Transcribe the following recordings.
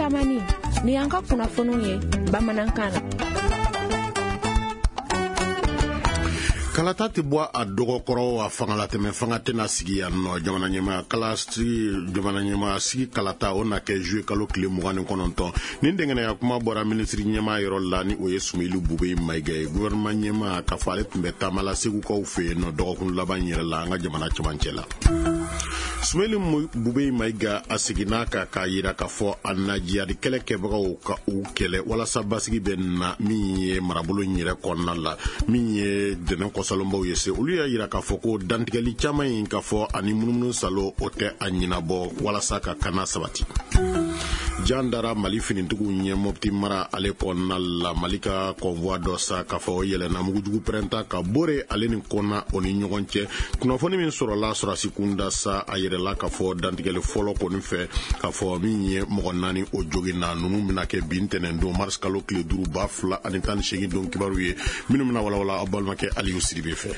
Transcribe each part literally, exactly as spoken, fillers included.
Tamani, ni y'an ka kunnafoniw ye bamanankan na. Kalata tɛ bɔ a dɔgɔkɔrɔ, a fangalatɛmɛ fanga tɛna sigi yan nɔ. Jamana ɲɛmaa kalasigi, jamana ɲɛmaa sigi kalata, o na kɛ juillet kalo tile mugan ni kɔnɔntɔn. Nin dɛngɛnɛya kuma bɔra minisiri ɲɛmaa yɔrɔ la, ni o ye Soumeylou Boubèye Maïga ye, gouvernement ɲɛmaa, k'a fɔ ale tun bɛ taama la Segukaw fɛ yen nɔ dɔgɔkun laban yɛrɛ la, an ka jamana cɛmancɛ la. Soumeylou Boubèye Maïga a seginna kan k'a yira k'a fɔ a na jihadi kɛlɛ kɛbagaw ka u kɛlɛ walasa basigi bɛ na min ye marabolo in yɛrɛ kɔnɔna la. Min ye dɛnɛn kɔsalonbaw ye se, olu y'a yira k'a fɔ ko dantigɛli caman in, k'a fɔ ani munumunu salo, o tɛ a ɲinabɔ walasa ka kana sabati. Jan dara Mali finitigiw ɲɛ Mopti mara ale kɔnɔna la. Mali ka convoi dɔ sa, k'a fɔ o yɛlɛnna mugujugu pɛrɛnta ka Bore ale ni Kɔnna o ni ɲɔgɔn cɛ. Kunnafoni min sɔrɔla sɔrɔsi kunda sa, a yɛrɛla k'a fɔ dantigɛli fɔlɔ kɔni fɛ, k'a fɔ min ye mɔgɔ naani o joginna. Ninnu bɛna kɛ bi ntɛnɛn don, mars kalo tile duuru, ba fila ani tan ni seegin don kibaru ye, minnu bɛna walawala aw balimakɛ Aliyu Sidibe fɛ.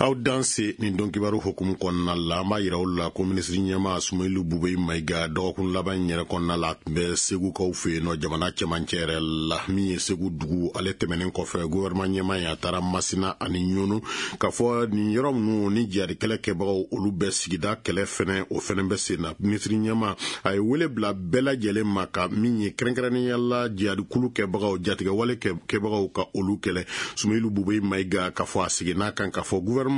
Aw danse. Nin don kibaru hukumu kɔnɔna la, an b'a yira aw la ko minisiri ɲɛmaa Soumeylou Boubèye Maïga, dɔgɔkun laban in yɛrɛ kɔnɔna la, a tun bɛ Segukaw fɛ yen nɔ, jamana cɛmancɛ yɛrɛ la. Min ye Segu dugu ale tɛmɛnen kɔfɛ, gouvernement ɲɛmaa ye, a taara Masina ani Ɲɔnu, k'a fɔ nin yɔrɔ ninnu ni jihadi kɛlɛ kɛbagaw olu bɛ sigida kɛlɛ fɛnɛ, o fɛnɛ bɛ sen na. Minisiri ɲɛmaa a ye wele bila bɛɛ lajɛlen ma, ka min ye kɛrɛnkɛrɛnnenya la jihadi kulu kɛbagaw, jatigɛwale kɛbagaw, ka olu kɛlɛ. Soumeylou Boubèye Maïga, k'a fɔ a seginna kan k'a fɔ gouvernement,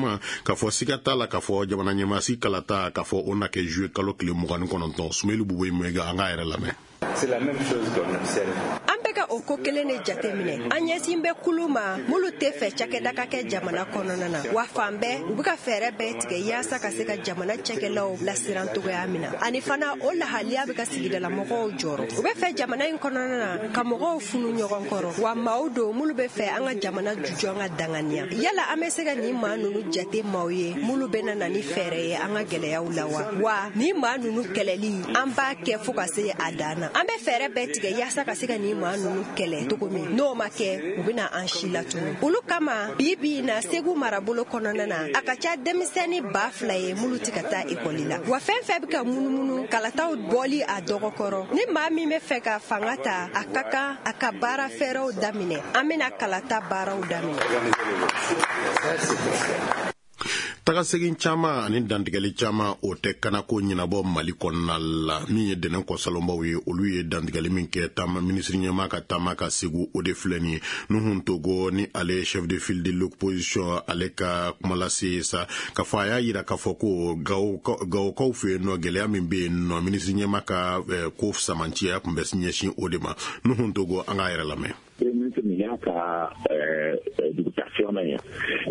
k'a fɔ siga t'a la k'a fɔ jamana ɲɛmaasi kalata, k'a fɔ o na kɛ juillet kalo tile mugan ni kɔnɔntɔn. Soumeylou Boubèye Maïga, an k'a yɛrɛ lamɛn. C'est la même chose qu'on observe. An bɛ ka o ko kelen de jateminɛ. An ɲɛsin bɛ kulu ma minnu tɛ fɛ cakɛda ka kɛ jamana kɔnɔna na, wa fan bɛɛ u bɛ ka fɛɛrɛ bɛɛ tigɛ yaasa ka se ka jamana cakɛlaw lasiran cogoya min na. Ani fana, o lahaliya bɛ ka sigidalamɔgɔw jɔrɔ. U bɛ fɛ jamana in kɔnɔna na ka mɔgɔw funu ɲɔgɔn kɔrɔ, wa maaw don minnu bɛ fɛ an ka jamana jujɔn ka danganiya. Yala an bɛ se ka nin maa ninnu jate maaw ye minnu bɛ na ni fɛɛrɛ ye an ka gɛlɛyaw la wa? Wa nin maa ninnu kɛlɛli, an b'a kɛ fo ka se a dan na. An bɛ fɛɛrɛ bɛɛ tigɛ yaasa ka se ka nin maa ninnu kɛlɛ cogo min, n'o ma kɛ, u bɛna an si latunu. Olu kama, bi bi in na, Segu marabolo kɔnɔna na, a ka ca denmisɛnnin ba fila ye minnu tɛ ka taa ekɔli la. Wa fɛn fɛn bɛ ka munumunu kalataw bɔli a dɔgɔkɔrɔ, ni maa min bɛ fɛ ka fanga ta, a ka kan a ka baara fɛɛrɛw daminɛ. An bɛna kalata baaraw daminɛ. Tagasegin caman ani dantigɛli caman, o tɛ kanako ɲinabɔ Mali kɔnɔna la. Min ye dɛnɛn kɔsalonbaw ye, olu ye dantigɛli min kɛ taama minisiri ɲɛmaa ka taama ka Segu, o de filɛ nin ye. Nouhoum Togo, ni ale chef de file de l'opposition, ale ka kumalase sa, k'a fɔ a y'a yira k'a fɔ ko Gawokaw fɛ yen nɔ, gɛlɛya min bɛ yen nɔ, minisiri ɲɛmaa ka ko samanciya tun bɛ ɲɛsin o de ma. Nouhoum Togo, an k'a yɛrɛ lamɛn. Premier ministre nin y'a ka duguta filanan ye.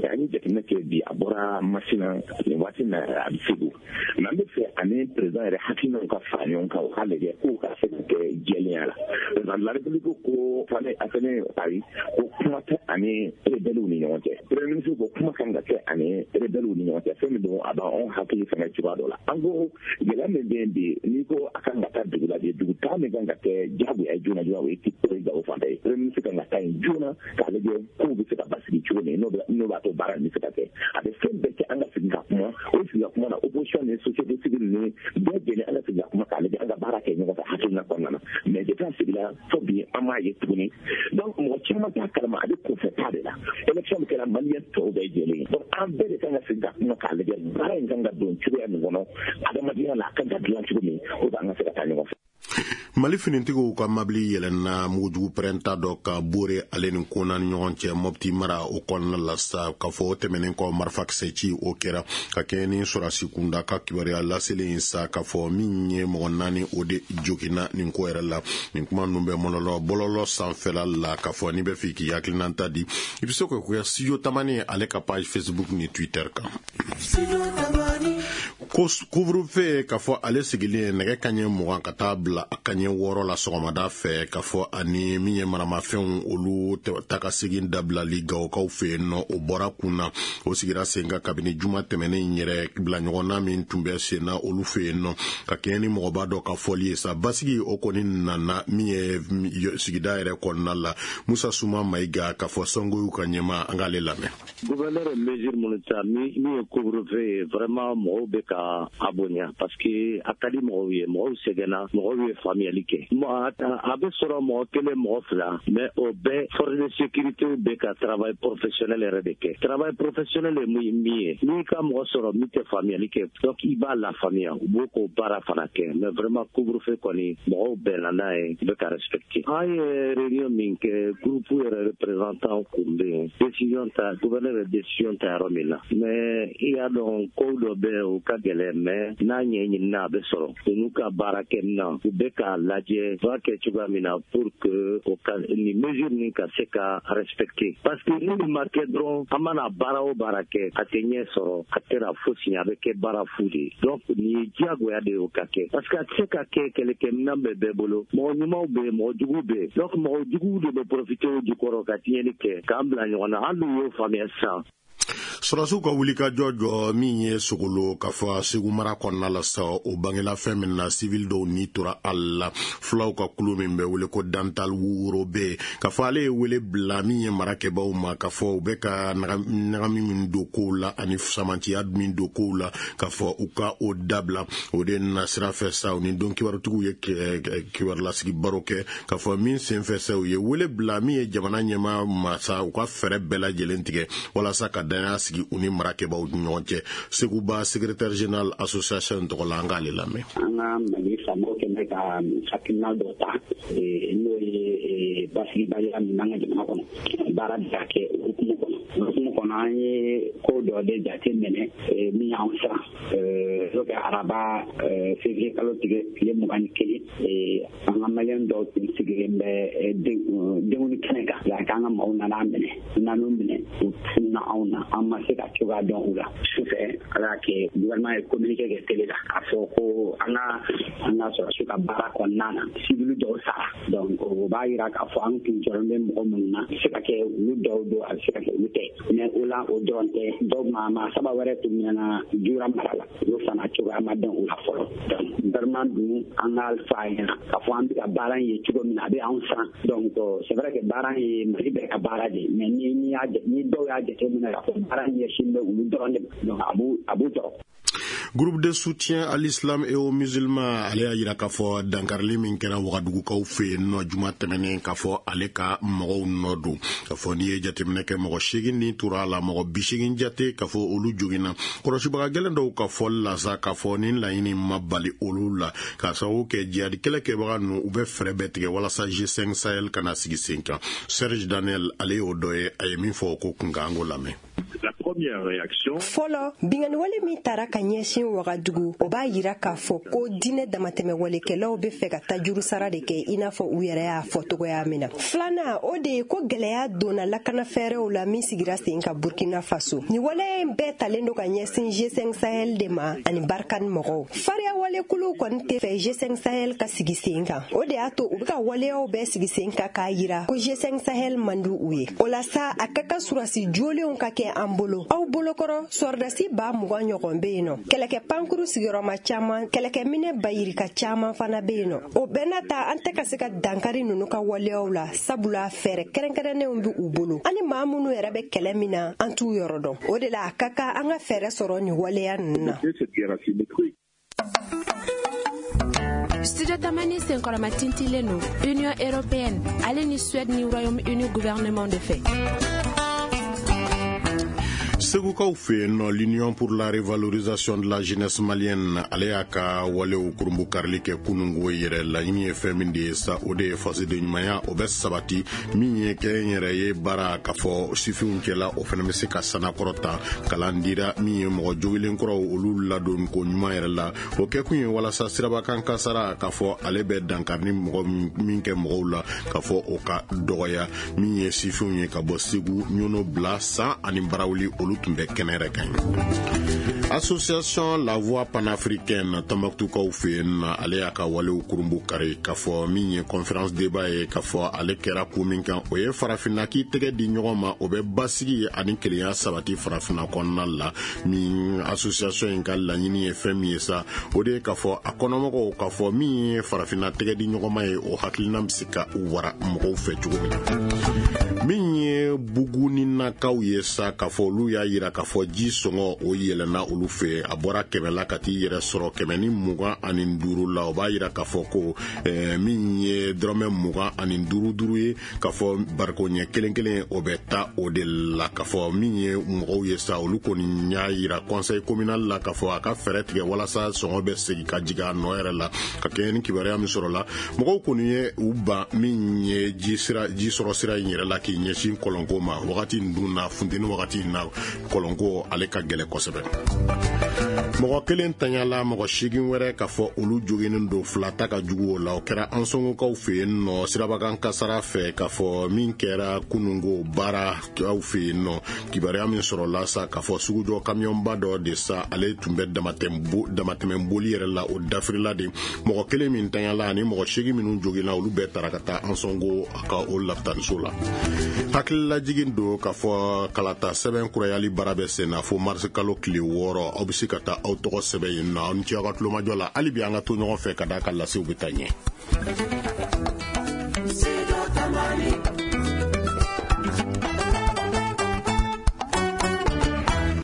An ye jateminɛ kɛ bi, a bɔra Masina, nin waati na a bɛ Segu. Mais an bɛ fɛ ani président yɛrɛ hakilinaw ka fara ɲɔgɔn kan, u k'a lajɛ k'o ka se ka kɛ jɛlenya la. Président de la République ko fane a fɛnɛ ayi, ko kuma tɛ ani rebelles ni ɲɔgɔn cɛ. Premier ministre ko kuma kan ka kɛ ani rebelles ni ɲɔgɔn cɛ. Fɛn min don, a b'anw hakili fɛngɛ cogoya dɔ la. An ko gɛlɛya min bɛ yen bi, n'i ko a kan ka taa dugu la bi, dugu taa min kan ka kɛ diyagoya joona joona, o ye o ye Gawo fan ye. Premier ministre kan ka taa yen joona k'a lajɛ kow bɛ se ka basigi cogo min, n'o b'a to baara in bɛ se ka kɛ. A bɛ fɛn bɛɛ kɛ, an ka sigi ka kuma. O sigi ka kuma na, opposition ni société civile ni bɛɛ jɛlen, an ka sigi ka kuma k'a lajɛ an ka baara kɛ ɲɔgɔn fɛ hakilina kɔnɔna na. Mais depuis a sigila fo bi, an m'a ye tuguni. Donc mɔgɔ caman t'a kalama, a bɛ kunfɛ taa de la. Élection min kɛra, maliyɛn tɔw bɛɛ jɛlen ye. Donc an bɛɛ de kan ka sigi ka kuma k'a lajɛ baara in kan ka don cogoya min kɔnɔ, adamadenya la a kan ka dilan cogo min, o an ka se ka taa ɲɔgɔn fɛ. Mali finitigiw ka mabili yɛlɛnna mugujugu pɛrɛnta dɔ ka Bore ale ni Kona ni ɲɔgɔn cɛ, Mɔpti mara o kɔnɔna la sa. K'a fɔ o tɛmɛnen kɔ, marifakisɛ ci o kɛra ka kɛɲɛ ni sɔrɔsi kunda ka kibaruya laselen sa, k'a fɔ min ye mɔgɔ naani o de joginna nin ko yɛrɛ la. Nin kuma ninnu bɛ mɔlɔlɔ bɔlɔlɔ sanfɛla la, k'a fɔ n'i bɛ fɛ k'i hakilinata di, i bɛ se k'o kɛ Studio Tamani ale ka page Facebook ni Twitter kan. Couvre-feu, k'a fɔ ale sigilen nɛgɛ kaɲɛ mugan ka taa bila a kaɲɛ wɔɔrɔ la sɔgɔmada fɛ, k'a fɔ ani min ye maramafɛnw olu ta ka segin dabilali Gawokaw fɛ yen nɔ, o bɔra kun na. O sigira sen kan kabini juma tɛmɛnen yɛrɛ, bila ɲɔgɔnna min tun bɛ sen na olu fɛ yen nɔ, ka kɛɲɛ ni mɔgɔba dɔ ka fɔli ye sa, basigi o kɔni nana min ye sigida yɛrɛ kɔnɔna la. Musa Suma Mayiga, k'a fɔ Sɔngoyiw ka ɲɛma, an k'ale lamɛn. Gouverneur ye mesure minnu ta, min ye couvre-feu ye, vraiment mɔgɔw bɛ ka ka a bonya parce que a ka di mɔgɔw ye, mɔgɔw sɛgɛnna, mɔgɔw ye faamuyali kɛ. A bɛ sɔrɔ mɔgɔ kelen mɔgɔ fila, mais o bɛɛ force de sécurité bɛ ka travail professionnel yɛrɛ de kɛ. Travail professionnel ye min ye, n'i ka mɔgɔ sɔrɔ min tɛ faamuyali kɛ, donc i b'a lafaamuya, u b'o k'o baara fana kɛ. Mais vraiment couvre-feu kɔni mɔgɔw bɛnna n'a ye, u bɛ ka respecter. An ye réunion min kɛ, groupe yɛrɛ représentant kun bɛ yen, décision ta, gouverneur ye décision ta yɔrɔ min na. Mais i y'a dɔn kow dɔ bɛ yen o ka gɛlɛn, mais n'a ɲɛɲinina a bɛ sɔrɔ. U n'u ka baara kɛ minan, u bɛ k'a lajɛ u b'a kɛ cogoya min na pour que o ka nin mesure nin ka se ka respecter. Parce que ni nin ma kɛ dɔrɔn, an mana baara o baara kɛ, a tɛ ɲɛ sɔrɔ, a tɛna fosi ɲɛ, a bɛ kɛ baara fu de ye. Donc nin ye diyagoya de ye o ka kɛ. Parce que a tɛ se ka kɛ kɛlɛkɛminɛn bɛ bɛɛ bolo, mɔgɔ ɲumanw bɛ yen, mɔgɔ juguw bɛ yen. Donc mɔgɔ juguw de bɛ profiter o jukɔrɔ ka tiɲɛni kɛ, k'an bila ɲɔgɔn na. Hali n'u y'o faamuya sisan. Sɔrɔsiw ka wulikajɔ jɔ min ye Sogolo k'a fɔ Segu mara kɔnɔna la sa, o bangela fɛn min na civil dɔw ni tora a la. Fulaw ka kulu min bɛ wele ko Dantal Worobe, k'a fɔ ale ye wele bila min ye marakɛbaw ma, k'a fɔ u bɛ ka ɲagami min don kow la ani samantiya min don kow la, k'a fɔ u ka o dabila. O de na sira fɛ sa, u ni don kibarutigiw ye kibarulasigi baro kɛ, k'a fɔ min senfɛ sa, u ye wele bila min ye jamana ɲɛmaa ma sa, u ka fɛɛrɛ bɛɛ lajɛlen tigɛ walasa ka danaya sigi u ni marakɛbaw ni ɲɔgɔn cɛ. Seguba secrétaire général association tɔgɔ la, an k'ale lamɛn. An ka Mali faamaw kɛn bɛ ka hakilina dɔ ta, n'o ye basigibaliya min b'an ka jamana kɔnɔ, baara bɛ ka kɛ o hukumu kɔnɔ. O hukumu kɔnɔ, an ye ko dɔ de jate minɛ min y'anw siran. N'o kɛ araba février kalo tile mugan ni kelen, an ka maliyɛn dɔw tun sigilen bɛ denkundi kɛnɛ kan. K'an ka maaw nana an minɛ, u nan'u minɛ, u tununa anw na, an ma se ka cogoya dɔn u la. Sufɛ ala y'a kɛ gouvernement ye communiqué kɛ télé la k'a fɔ ko an ka an ka sɔrɔsiw ka baara kɔnɔna na civil dɔw sara. Donc o b'a yira k'a fɔ an tun jɔlen bɛ mɔgɔ minnu na, a bɛ se ka kɛ olu dɔw don, a bɛ se ka kɛ olu tɛ. Mais o la o dɔrɔn tɛ, dɔw maa maa saba wɛrɛ tun minɛna Jura mara la, olu fana cogoya ma dɔn u la fɔlɔ. Donc gouvernement dun an ka fɔ a ɲɛna k'a fɔ an bɛ ka baara in ye cogo min na, a bɛ anw siran. Donc c'est vrai que baara in ye Mali bɛɛ ka baara de ye, mais ni ni y'a ni dɔw y'a jateminɛ k'a fɔ baara in ɲɛsin bɛ olu dɔrɔn de ma, donc a b'u a b'u tɔɔrɔ. Groupe de soutien à l'islam et aux musulmans ale y'a yira k'a fɔ dankarili min kɛra Wagadugukaw fɛ yen nɔ juma tɛmɛnen, k'a fɔ ale ka mɔgɔw nɔ don. K'a fɔ n'i ye jateminɛ kɛ, mɔgɔ seegin ni tora a la, mɔgɔ bi seegin jate k'a fɔ olu joginna. Kɔlɔsibaga gɛlɛn dɔw ka fɔli la sa, k'a fɔ ni laɲini ma bali olu la, k'a sababu kɛ jihadi kɛlɛ kɛbaga ninnu u bɛ fɛɛrɛ bɛɛ tigɛ walasa G cinq Sahel kana sigi sen kan. Serge Daniel ale y'o dɔ ye, a ye min fɔ o ko kunkan, an k'o lamɛn. Fɔlɔ, binkanniwale min taara ka ɲɛsin Wagadugu, o b'a yira k'a fɔ ko diinɛ damatɛmɛwalekɛlaw bɛ fɛ ka tajuru sara de kɛ, i n'a fɔ u yɛrɛ y'a fɔ cogoya min na. Filanan, o de ye ko gɛlɛya donna lakanafɛɛrɛw la min sigira sen kan Burkina Faso. Nin waleya in bɛɛ talen don ka ɲɛsin G cinq Sahel de ma ani Barkhane mɔgɔw. Fariyawalekuluw kɔni tɛ fɛ G cinq Sahel ka sigi sen kan. O de y'a to u bɛ ka waleyaw bɛɛ sigi sen kan k'a yira ko G cinq Sahel man di u ye. O la sa, a ka kan surasi jolenw ka kɛ an bolo. Aw bolokɔrɔ sɔrɔdasi ba mugan ɲɔgɔn bɛ yen nɔ, kɛlɛkɛ pankuru sigiyɔrɔma caman, kɛlɛkɛminɛ bayirika caman fana bɛ yen nɔ. O bɛɛ n'a ta, an tɛ ka se ka dankari ninnu ka waleyaw la, sabula fɛɛrɛ kɛrɛnkɛrɛnnenw bɛ u bolo. An ni maa minnu yɛrɛ bɛ kɛlɛ min na, an t'u yɔrɔ dɔn. O de la a ka kan an ka fɛɛrɛ sɔrɔ nin waleya ninnu na. Studio Tamani senkɔrɔma tintilen don Union européenne ale ni Suède ni Royaume-Uni gouvernement de fɛ. Segukaw fɛ yen nɔ, l'Union pour la revalorisation de la jeunesse malienne ale y'a ka walew kurunbu karili kɛ kununko yɛrɛ. Laɲini ye fɛn min de ye sa, o de ye fasoden ɲumanya o bɛ sabati, min ye kɛ n yɛrɛ ye baara k'a fɔ sifinw cɛla, o fana bɛ se ka sanakɔrɔta. Kalan dira min ye mɔgɔ jogilen kɔrɔw olu ladon ko ɲuman yɛrɛ la. O kɛkun ye walasa sirabakan kasara k'a fɔ ale bɛ dankari ni mɔgɔ min kɛ mɔgɔw la, k'a fɔ o ka dɔgɔya. Min ye sifinw ye ka bɔ Segu, Ɲɔnɔ, Bila, San ani Barawuli, olu tun bɛ kɛnɛ yɛrɛ kan. Association La Voix panafricaine Tombouctoukaw fɛ yen nɔ, ale y'a ka walew kurunbu kari, k'a fɔ min ye conférence débat ye, k'a fɔ ale kɛra ko min kan, o ye farafinna k'i tɛgɛ di ɲɔgɔn ma, o bɛ basigi ani kelenya sabati farafinna kɔnɔna la. Min association in ka laɲini ye fɛn min ye sa, o de ye k'a fɔ a kɔnɔmɔgɔw k'a fɔ min ye farafinna tɛgɛ di ɲɔgɔn ma ye, o hakilina bɛ se ka wara mɔgɔw fɛ cogo min na. Min ye Buguninakaw ye sa, k'a fɔ olu y'a yira k'a fɔ ji sɔngɔ o yɛlɛnna olu fɛ, a bɔra kɛmɛ la ka t'i yɛrɛ sɔrɔ kɛmɛ ni mugan ani duuru la. O b'a yira k'a fɔ ko eh, min ye dɔrɔmɛ mugan ani duuru duuru ye, k'a fɔ bariko ɲɛ kelen kelen o bɛ taa o de la. K'a fɔ min ye mɔgɔw ye sa, olu kɔni y'a yira conseil communal la k'a fɔ a ka fɛɛrɛ tigɛ walasa sɔngɔ bɛ segin ka jigin a nɔ yɛrɛ la. Ka kɛɲɛ ni kibaruya min sɔrɔla, mɔgɔw kɔni ye u ban min ye ji sira ji sɔrɔ sira in yɛrɛ la k'i ɲɛsin kɔlɔnko ma. Wagati in dun na, funteni wagati in na, kɔlɔnko ale ka gɛlɛ kosɛbɛ. Mɔgɔ kelen tanyala, mɔgɔ seegin wɛrɛ k'a fɔ olu joginnen don, fila ta ka jugu o la. O kɛra Ansongokaw fɛ yen nɔ sirabakan kasara fɛ, k'a fɔ min kɛra kununko baara aw fɛ yen nɔ. Kibaruya min sɔrɔla sa, k'a fɔ sugujɔ kamiyɔnba dɔ de sa, ale tun bɛ damatɛmɛ boli yɛrɛ la, o dafirila de. Mɔgɔ kelen min tanyala ani mɔgɔ seegin minnu joginna, olu bɛɛ taara ka taa Ansongo ka o lapitaniso la. Hakililajigin don k'a fɔ kalata sɛbɛn kurayali baara bɛ sen na fo marisi kalo tile wɔɔrɔ. Aw bɛ se ka taa aw tɔgɔ sɛbɛn yen nɔ. Aw ni ce aw ka tulomajɔ la. Hali bi an ka to ɲɔgɔn fɛ ka d'a ka lasew bɛ taa ɲɛ.